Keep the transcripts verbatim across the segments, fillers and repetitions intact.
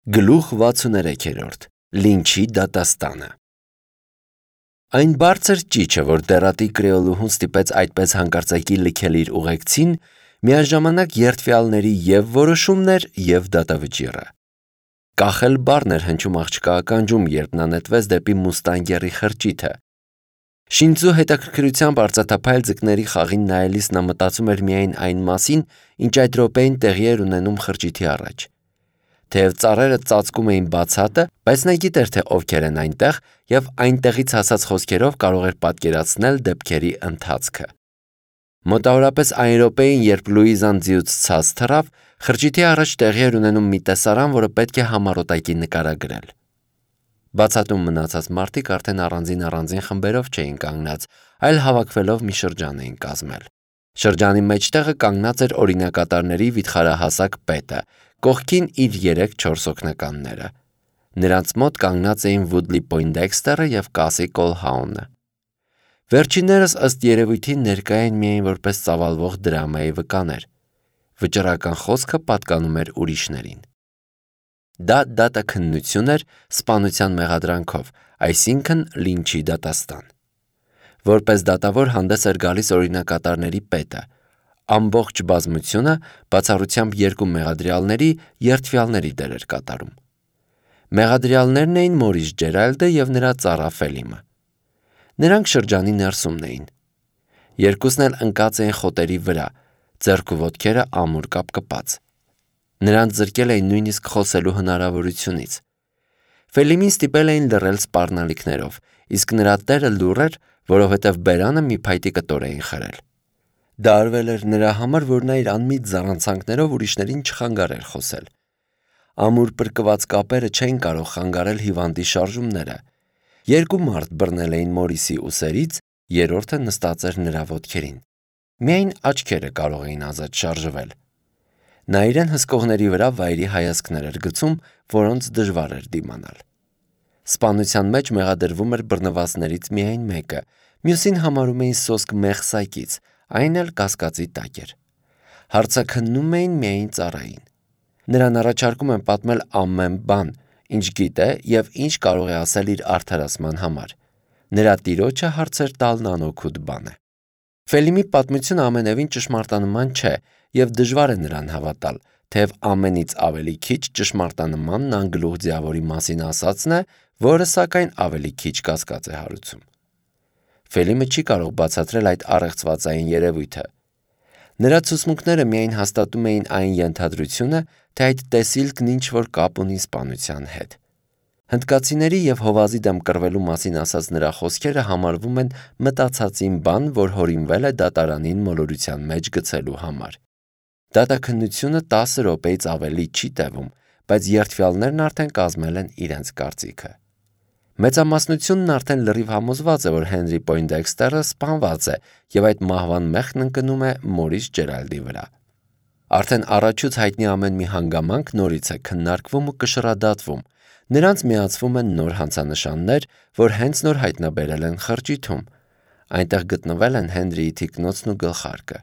Գլուխ վաթսուներեքերորդ. Լինչի դատաստանը։ Այն բարձր ճիչը, որ դեռատի կրեոլուհուն ստիպեց այդպես հանկարծակի լքել իր ուղեկցին, միաժամանակ երդվյալների և որոշումն էր, և դատավճիռը։ Կախել բառն էր հնչում աղջկա ականջում, երբ նա նետվեց դեպի մուստանգերի խրճիթը։ Շինձու հետաքրքրությամբ արծաթափայլ ձկների խաղին նայելիս նա մտածում էր միայն այն մասին, ինչ այդ րոպեին տեղի էր ունենում խրճիթի առաջ։ Թեև ծառերը ծածկում էին բացատը, բայց նա գիտեր, թե ովքեր են այնտեղ, և այնտեղից հասած խոսքերով կարող էր պատկերացնել դեպքերի ընթացքը։ Մոտավորապես այն րոպեին, երբ Լուիզան ձիուց ցած թռավ, խրճիթի առաջ տեղի էր ունենում մի տեսարան, որը պետք է համառոտակի նկարագրել։ Բացատում մնացած մարդիկ արդեն առանձին-առանձին խմբերով չէին կանգնած, այլ հավաքվելով մի շրջան էին կազմել։ Շրջանի մեջտեղը կանգնած էր օրինակատարների վիթխարահասակ պետը, կողքին իր երեք-չորս օգնականները։ Նրանց մոտ կանգնած էին Վուդլի Պոյնդեքստերը և Կասի Կոլհաունը։ Վերջիններս ըստ երևույթին ներկա էին միայն որպես ծավալվող դրամայի վկաներ։ Վճռական խոսքը պատկանում էր ուրիշներին։ Դա դատաքննություն էր սպանության մեղադրանքով, այսինքն լինչի դատաստան։ Որպես դատավոր հանդես էր գալիս օրինակատարների պետը։ Ամբողջ բազմությունը, բացառությամբ երկու մեղադրյալների, երդվյալների դեր էր կատարում։ Մեղադրյալներն էին Մորիս Ջերալդը և նրա ծառա Ֆելիմը։ Նրանք շրջանի ներսումն էին։ Երկուսն էլ ընկած էին խոտերի վրա, ձեռք ու ոտքերը ամուր կապկպած։ Նրանց զրկել էին նույնիսկ խոսելու հնարավորությունից։ Ֆելիմին ստիպել էին լռել սպառնալիքներով, իսկ նրա տերը լուռ էր, որովհետև բերանը մի փայտի կտոր էին խրել։ Դա արվել էր նրա համար, որ նա իր անմիտ զառանցանքներով ուրիշներին չխանգարեր խոսել։ Ամուր պրկված կապերը չէին կարող խանգարել հիվանդի շարժումները։ Երկու մարդ բռնել էին Մորիսի ուսերից, երրորդը նստած էր նրա ոտքերին։ Միայն աչքերը կարող էին ազատ շարժվել։ Նա իրեն հսկողների վրա վայրի հայացքներ էր գցում, որոնց դժվար էր դիմանալ։ Սպանության մեջ մեղադրվում էր բռնվածներից միայն մեկը, մյուսին համարում էին սոսկ մեղսակից, այն էլ կասկածի տակ էր։ Հարցաքննում էին միայն ծառային։ Նրան առաջարկում են պատմել ամեն բան, ինչ գիտե և ինչ կարող է ասել իր արդարացման համար։ Նրա տիրոջը հարցեր տալն անօգուտ բան է։ Ֆելիմի պատմությունը ամենևին ճշմարտանման չէ, և դժվար է նրան հավատալ, թեև ամենից ավելի քիչ ճշմարտանմանն անգլուխ ձիավորի մասին ասածն է, որը սակայն ավելի քիչ կասկած է հարուցում։ Ֆելիմը չի կարող բացատրել այդ առեղծվածային երևույթը։ Նրա ցուցմունքները միայն հաստատում էին այն ենթադրությունը, թե այդ տեսիլքն ինչ-որ կապ ունի սպանության հետ։ Հնդկացիների և հովազի դեմ կռվելու մասին ասած նրա խոսքերը համարվում են մտածածին բան, որ հորինվել է դատարանին մոլորության մեջ գցելու համար։ Դատաքննությունը տասը րոպեից ավելի չի տևում, բայց երդվյալներն արդեն կազմել են իրենց կարծիքը։ Մեծամասնությունն արդեն լրիվ համոզված է, որ Հենրի Պոյնդեքստերը սպանված է, և այդ մահվան մեղքն ընկնում է Մորիս Ջերալդի վրա։ Արդեն առաջուց հայտնի ամեն մի հանգամանք նորից է քննարկվում ու կշռադատվում։ Նրանց միացվում են նոր հանցանշաններ, որ հենց նոր հայտնաբերել են խրճիթում։ Այնտեղ գտնվել են Հենրիի թիկնոցն ու գլխարկը։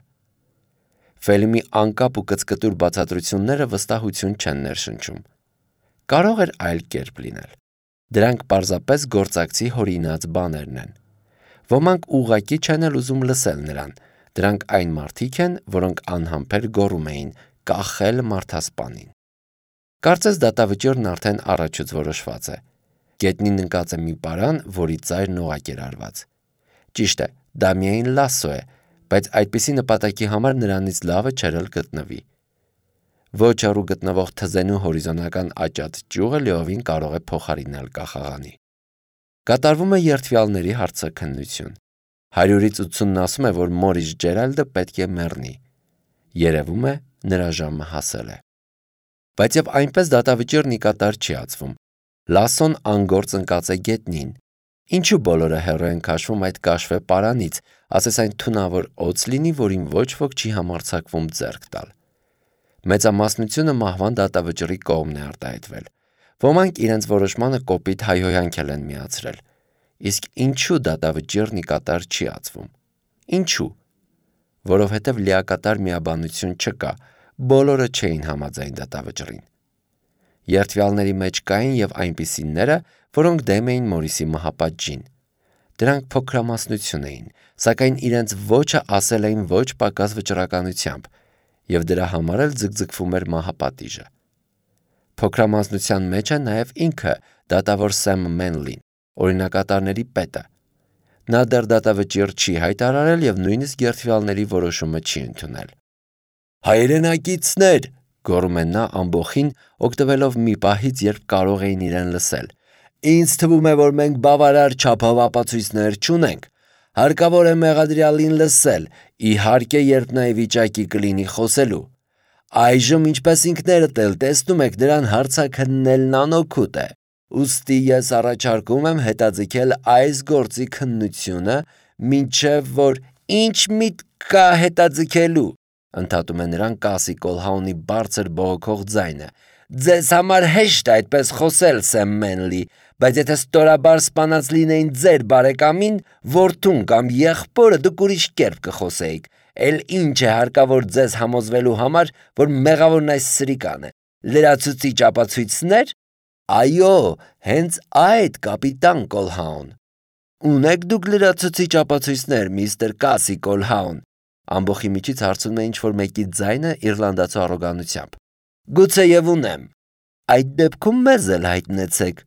Ֆելիմի անկապ ու կծկտուր բացատրությունները վստահություն չեն ներշնչում։ Կարող էր այլ կերպ լինել։ Դրանք պարզապես գործակցի հորինած բաներն են։ Ոմանք ուղղակի չեն էլ ուզում լսել նրան։ Դրանք այն մարդիկ են, որոնք անհամբեր գոռում էին «կախել մարդասպանին»։ Կարծես դատավճիռն արդեն առաջուց որոշված է։ Գետնին ընկած է մի պարան, որի ծայրն օղակ էր արված։ Ճիշտ է, դա միայն լասո է, բայց այդպիսի նպատակի համար նրանից լավը չէր էլ գտնվի։ Ոչ հեռու գտնվող թզենու հորիզոնական աճած ճյուղը լիովին կարող է փոխարինել կախաղանի։ Կատարվում է երդվյալների հարցաքննություն։ Հարյուրից ութսունն ասում է, որ Մորիս Ջերալդը պետք է մեռնի։ Երևում է, նրա ժամը հասել է։ Բայց և այնպես դատավճիռն ի կատար չի ածվում։ Լասոն անգործ ընկած է գետնին։ Ինչու բոլորը հեռու են քաշվում այդ կաշվե պարանից, ասես այն թունավոր օձ լինի, որին ոչ ոք չի համարձակվում ձեռք տալ։ Մեծամասնությունը մահվան դատավճռի կողմն է արտահայտվել։ Ոմանք իրենց որոշմանը կոպիտ հայհոյանք են միացրել։ Իսկ ինչու դատավճիռն ի կատար չի ածվում։ Ինչու։ Որովհետև լիակատար միաբանություն չկա, բոլորը չէին համաձայն դատավճռին։ Երդվյալների մեջ կային և այնպիսիները, որոնք դեմ էին Մորիսի մահապատժին։ Դրանք փոքրամասնություն էին, սակայն իրենց ոչը ասել էին ոչ պակաս վճռականությամբ, և դրա համար էլ ձգձգվում էր մահապատիժը։ Փոքրամասնության մեջ է նաև ինքը դատավոր Սեմ Մենլին, օրինակատարների պետը։ Նա դեռ դատավճիռ չի հայտարարել և նույնիսկ երդվյալների որոշումը չի ընդունել։ «Հայրենակիցներ», գոռում է նա ամբոխին, օգտվելով մի պահից, երբ կարող էին իրեն լսել։ «Ինձ թվում է, որ մենք բավարար չափով ապացույցներ չունենք։ Հարկավոր է մեղադրյալին լսել, իհարկե, երբ նա ի վիճակի կլինի խոսելու։ Այժմ, ինչպես ինքներդ էլ տեսնում եք, նրան հարցաքննելն անօգուտ է։ Ուստի ես առաջարկում եմ հետաձգել այս գործի քննությունը, մինչև որ ինչ միտք կա հետաձգելու, ընդհատում է նրան Կասի Կոլհաունի բարձր բողոքող ձայնը։ Ձեզ համար հեշտ է այդպես խոսել, Սեմ Մենլի, բայց եթե ստորաբար սպանած լինեին ձեր բարեկամին, որդուն կամ եղբորը, դուք ուրիշ կերպ կխոսեիք։ Էլ ինչ է հարկավոր ձեզ համոզվելու համար, որ մեղավորն այս սրիկան է։ Լրացուցիչ ապացույցներ։ Այո, հենց այդ, կապիտան Կոլհաուն։ Ունեք դուք լրացուցիչ ապացույցներ, միստր Կասի Կոլհաուն։ Ամբոխի միջից հարցնում է ինչ-որ մեկի ձայնը իռլանդացու առոգանությամբ։ Գուցեև ունեմ։ Այդ դեպքում մեզ էլ հայտնեցեք։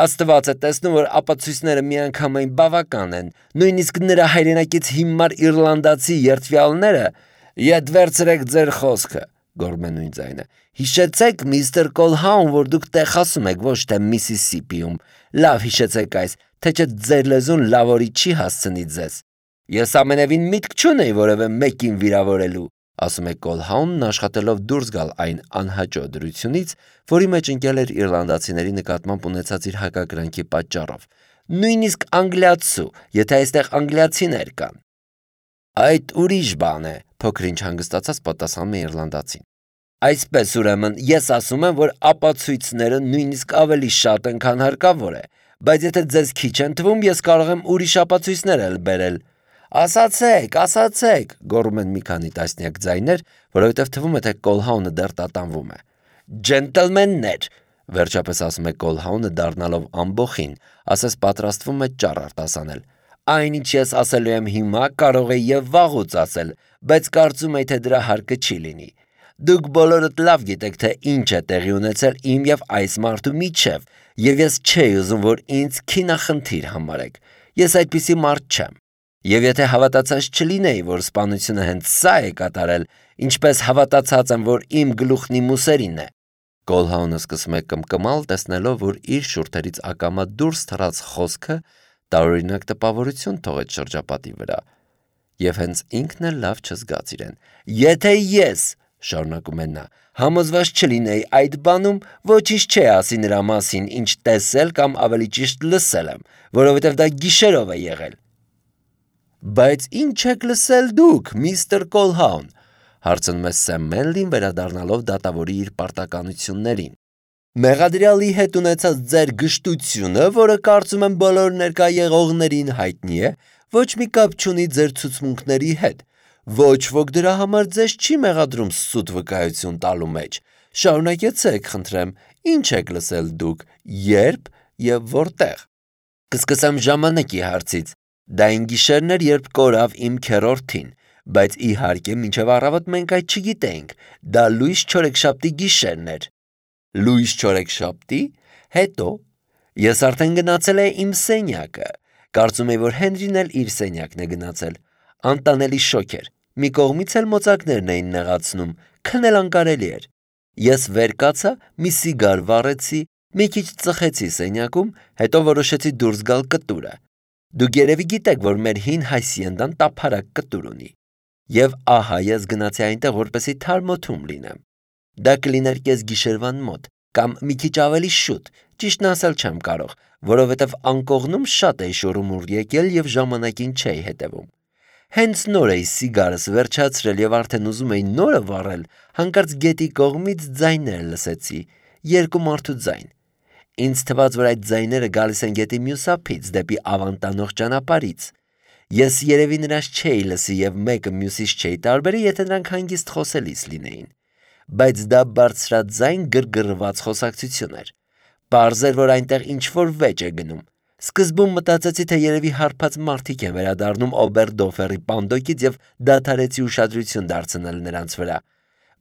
Աստված է տեսնում, որ ապացույցները միանգամայն բավական են, նույնիսկ նրա հայրենակից հիմար իռլանդացի երդվյալները։ Ետ վերցրեք ձեր խոսքը, գոռում է նույն ձայնը։ Հիշեցեք, միստր Կոլհաուն, որ դուք Տեխասում եք, ոչ թե Միսիսիպիում։ Լավ հիշեցեք այս, թե չէ ձեր լեզուն լավորի չի հասցնի ձեզ։ Ես ամենևին միտք չունեի որևէ մեկին վիրավորելու, ասում է Կոլհաունն, աշխատելով դուրս գալ այն անհաճո դրությունից, որի մեջ ընկել էր իռլանդացիների նկատմամբ ունեցած իր հակակրանքի պատճառով։ Նույնիսկ անգլիացու, եթե այստեղ անգլիացիներ կան։ Այդ ուրիշ բան է, փոքր-ինչ հանգստացած պատասխանում է իռլանդացին։ Այսպես ուրեմն, ես ասում եմ, որ ապացույցները նույնիսկ ավելի շատ են, քան հարկավոր է, բայց եթե ձեզ քիչ են թվում, ես կարող եմ ուրիշ ապացույցներ էլ բերել։ Ասացեք, ասացեք, գոռում են մի քանի տասնյակ ձայներ, որովհետև թվում է, թե Կոլհաունը դեռ տատանվում է։ Ջենտլմեններ, վերջապես ասում է Կոլհաունը դառնալով ամբոխին, ասես պատրաստվում է ճառ արտասանել։ Այն, ինչ ես ասելու եմ հիմա, կարող է և վաղուց ասել, բայց կարծում եմ, թե դրա հարկը չի լինի։ Դուք բոլորդ լավ գիտեք, թե ինչ է տեղի ունեցել իմ և այս մարդու միջև, և ես չէի ուզում, որ ինձ քինախնդիր համարեք։ Ես այդպիսի մարդ չեմ։ Եվ եթե հավատացած չլինեի, որ սպանությունը հենց սա է կատարել, ինչպես հավատացած եմ, որ իմ գլուխն իմ ուսերին է։ Կոլհաունը սկսում է կմկմալ, տեսնելով, որ իր շուրթերից ակամա դուրս թռած խոսքը տարօրինակ տպավորություն թողեց շրջապատի վրա։ Եվ հենց ինքն էլ լավ չզգաց իրեն։ Եթե ես, շարունակում է նա, համոզված չլինեի այդ բանում, ոչինչ չէ ասի նրա մասին, ինչ տեսել կամ ավելի ճիշտ լսել եմ, որովհետև դա գիշերով է եղել։ Բայց ինչ եք լսել դուք, միստր Կոլհաուն, հարցնում է Սեմ Մենլին, վերադառնալով դատավորի իր պարտականություններին։ Մեղադրյալի հետ ունեցած ձեր գժտությունը, որը կարծում եմ բոլոր ներկա եղողներին հայտնի է, ոչ մի կապ չունի ձեր ցուցմունքների հետ։ Ոչ ոք դրա համար ձեզ չի մեղադրում սուտ վկայություն տալու մեջ։ Շարունակեցեք, խնդրեմ, ինչ եք լսել դուք, երբ և որտեղ։ Կսկսեմ ժամանակի հարցից։ Դա այն գիշերն էր, երբ կորավ իմ քեռորդին, բայց իհարկե մինչև առավոտ մենք այդ չգիտեինք։ Դա լույս չորեքշաբթի գիշերն էր։ Լույս չորեքշաբթի։ Հետո ես արդեն գնացել էի իմ սենյակը։ Կարծում էի, որ Հենրին էլ իր սենյակն է գնացել։ Անտանելի շոկ էր։ Մի կողմից էլ մոծակներն էին նեղացնում, քնել անկարելի էր։ Ես վեր կացա, մի սիգար վառեցի, մի քիչ ծխեցի սենյակում, հետո որոշեցի դուրս գալ կտուրը։ Դուք երևի գիտեք, որ մեր հին հայսիենդան տափարակ կտուր ունի։ Եվ ահա ես գնացի այնտեղ, որպեսզի թարմոթում լինեմ։ Դա կլիներ կես գիշերվան մոտ, կամ մի քիչ ավելի շուտ, ճիշտն ասել չեմ կարող, որովհետև անկողնում շատ էի շուռումուռ եկել և ժամանակին չէի հետևում։ Հենց նոր էի սիգարս վերջացրել և արդեն ուզում էի նորը վառել, հանկարծ գետի կողմից ձայներ լսեցի, երկու մարդու ձայն։ Ինձ թվաց, որ այդ ձայները գալիս են գետի մյուս ափից, դեպի Ավան տանող ճանապարհից։ Ես երևի նրանց չէի լսի և մեկը մյուսից չէի տարբերի, եթե նրանք հանգիստ խոսելիս լինեին։ բայց դա բարձրաձայն գրգռված խոսակցություն էր։ Պարզ էր, որ այնտեղ ինչ-որ վեճ է գնում։ Սկզբում մտածեցի, թե երևի հարբած մարդիկ են վերադառնում Օբերդորֆերի պանդոկից եւ դադարեցի ուշադրություն դարձնել նրանց վրա։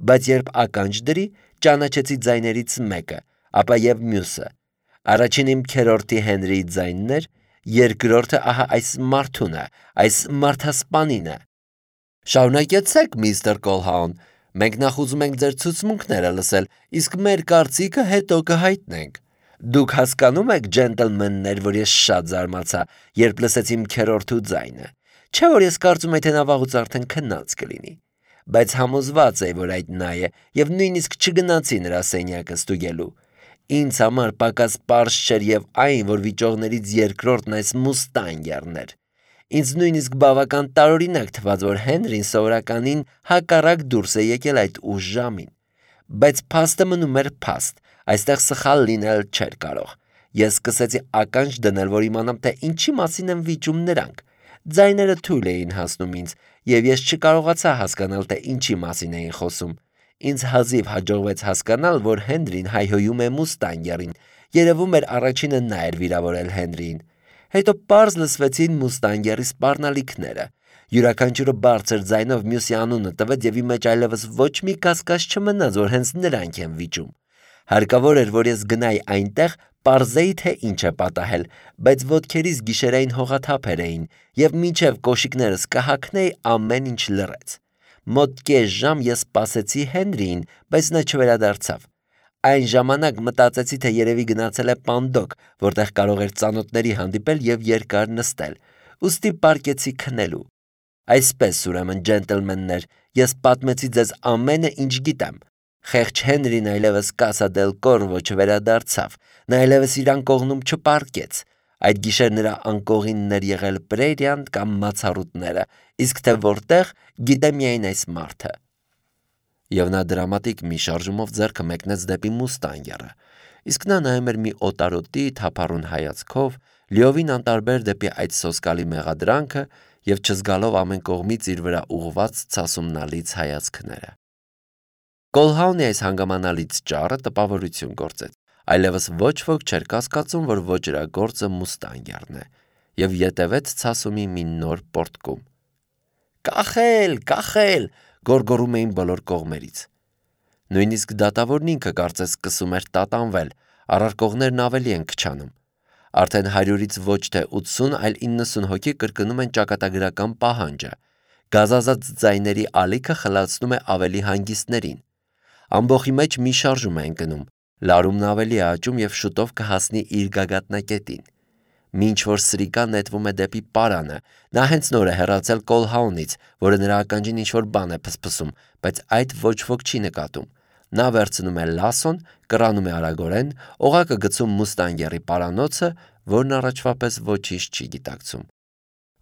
Բայց երբ ականջ դրի, ճանաչեցի ձայներից մեկը, ապա եւ մյուսը։ Առաջին իմ քերորդի Հենրիի ձայնն էր, երկրորդը ահա այս մարդունը, այս մարդասպանինը։ Շարունակեցեք, միստր Կոլհաուն, մենք նախ ուզում ենք ձեր ցուցմունքները լսել, իսկ մեր կարծիքը հետո կհայտնենք։ Դուք հասկանում եք, ջենտլմեններ, որ ես շատ զարմացա, երբ լսեցի իմ քերորդու ձայնը։ Չէ՞ որ ես կարծում եի, թե նա վաղուց արդեն քնած կլինի, բայց համոզված էի, որ այդ նա է, եւ նույնիսկ չգնացի նրա սենյակը ստուգելու։ Ինձ համար պակաս պարզ չէր եւ այն, որ վիճողներից երկրորդն այս մուստանգերն էր։ Ինձ նույնիսկ բավական տարօրինակ թվաց, որ Հենրին սովորականին հակառակ դուրս է եկել այդ ուշ ժամին։ Բայց փաստը մնում էր փաստ, այստեղ սխալ լինել չէր կարող։ Ես սկսեցի ականջ դնել, որ իմանամ, թե ինչի մասին են վիճում նրանք։ Ձայները թույլ էին հասնում ինձ, եւ ես չկարողացա հասկանալ, թե ինչի մասին էին խոսում։ Ինձ հազիվ հաջողվեց հասկանալ, որ Հենրին հայհոյում է մուստանգերին։ Երևում էր առաջինը նա էր վիրավորել Հենրիին։ Հետո պարզ լսվեցին մուստանգերի սպառնալիքները։ Յուրաքանչյուրը բարձր ձայնով մյուսի անունը տվեց եւ իմ մեջ այլևս ոչ մի կասկած չմնաց, որ հենց նրանք են վիճում։ Հարկավոր էր, որ ես գնայի այնտեղ, պարզեի, թե ինչ է պատահել, բայց ոտքերիս գիշերային հողաթափեր էին եւ մինչեւ կոշիկներս կհագնեի ամեն ինչ լռեց։ Մոտ կես ժամ ես սպասեցի Հենրիին, բայց նա չվերադարձավ։ Այն ժամանակ մտածեցի, թե երևի գնացել է պանդոկ, որտեղ կարող էր ծանոթների հանդիպել եւ երկար նստել։ Ուստի պարկեցի քնելու։ Այսպես, ուրեմն, ջենտլմեններ, ես պատմեցի ձեզ ամենը, ինչ գիտեմ։ Խեղճ Հենրին այլևս Կասա դել Կորվո չվերադարձավ, նա այլևս իր անկողնում չպարկեց։ Այդ գիշեր նրա անկողինն էր եղել Պրերիան կամ Մացառուտները, իսկ թե որտեղ, գիտե միայն այս մարդը։ Եվ նա դրամատիկ մի շարժումով ձեռքը մեկնեց դեպի մուստանգերը, իսկ նա նայում էր մի օտարոտի թափառուն հայացքով, լիովին անտարբեր դեպի այդ սոսկալի մեղադրանքը եւ չզգալով ամեն կողմից իր վրա ուղված ցասումնալից հայացքները։ Կոլհաունի այս հանգամանալից ճառը տպավորություն գործեց, այլևս ոչ ոք չէր կասկածում, որ ոճրագործը մուստանգերն է, եւ ետևեց ցասումի մի նոր պորտկում։ Կախել, կախել, գոռգոռում էին բոլոր կողմերից։ Նույնիսկ դատավորն ինքը կարծես սկսում էր տատանվել, առարկողներն ավելի են քչանում։ Արդեն հարյուրից ոչ թե ութսուն, այլ իննսուն հոգի կրկնում են ճակատագրական պահանջը։ Գազազած ձայների ալիքը խլացնում է ավելի հանգիստներին։ Ամբոխի մեջ մի շարժում է ընկնում, լարումն ավելի է աճում եւ շուտով կհասնի իր գագաթնակետին։ Մինչ որ սրիկան նետվում է դեպի պարանը, նա հենց նոր է հեռացել Կոլհաունից, որը նրա ականջին ինչ-որ բան է փսփսում, բայց այդ ոչ ոք չի նկատում։ Նա վերցնում է լասոն, կռանում է արագորեն, օղակը գցում մուստանգերի պարանոցը, որն առաջվա պես ոչինչ չի գիտակցում։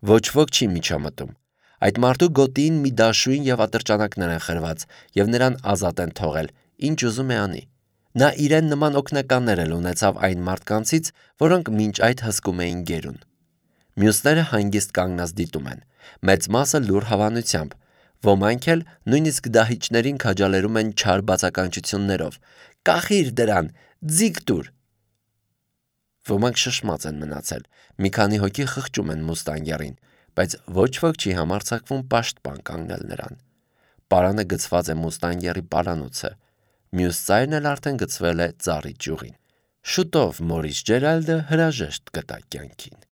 Ոչ ոք չի միջամտում։ Այդ մարդու գոտիին մի դաշույն եւ ատրճանակներ են խրված եւ նրան ազատ են թողել, ինչ ուզում է անի։ Նա իրեն նման օգնականներ էլ ունեցավ այն մարդկանցից, որոնք մինչ այդ հսկում էին գերուն։ Մյուսները հանգիստ կանգնած դիտում են, մեծ մասը լուռ հավանությամբ, ոմանք էլ նույնիսկ դահիճներին քաջալերում են չար բացականչություններով. «Կախիր դրան, ձիգ տուր»։ Ոմանք շշմած են մնացել, մի քանի հոգի խղճում են մուստանգերին, բայց ոչ ոք չի համարձակվում պաշտպան կանգնել նրան։ Պարանը գցված է մուստանգերի պարանոցը, մյուս ծայրն էլ արդեն գցվել է ծառի ճյուղին։ Շուտով Մորիս Ջերալդը հրաժեշտ կտա կյանքին։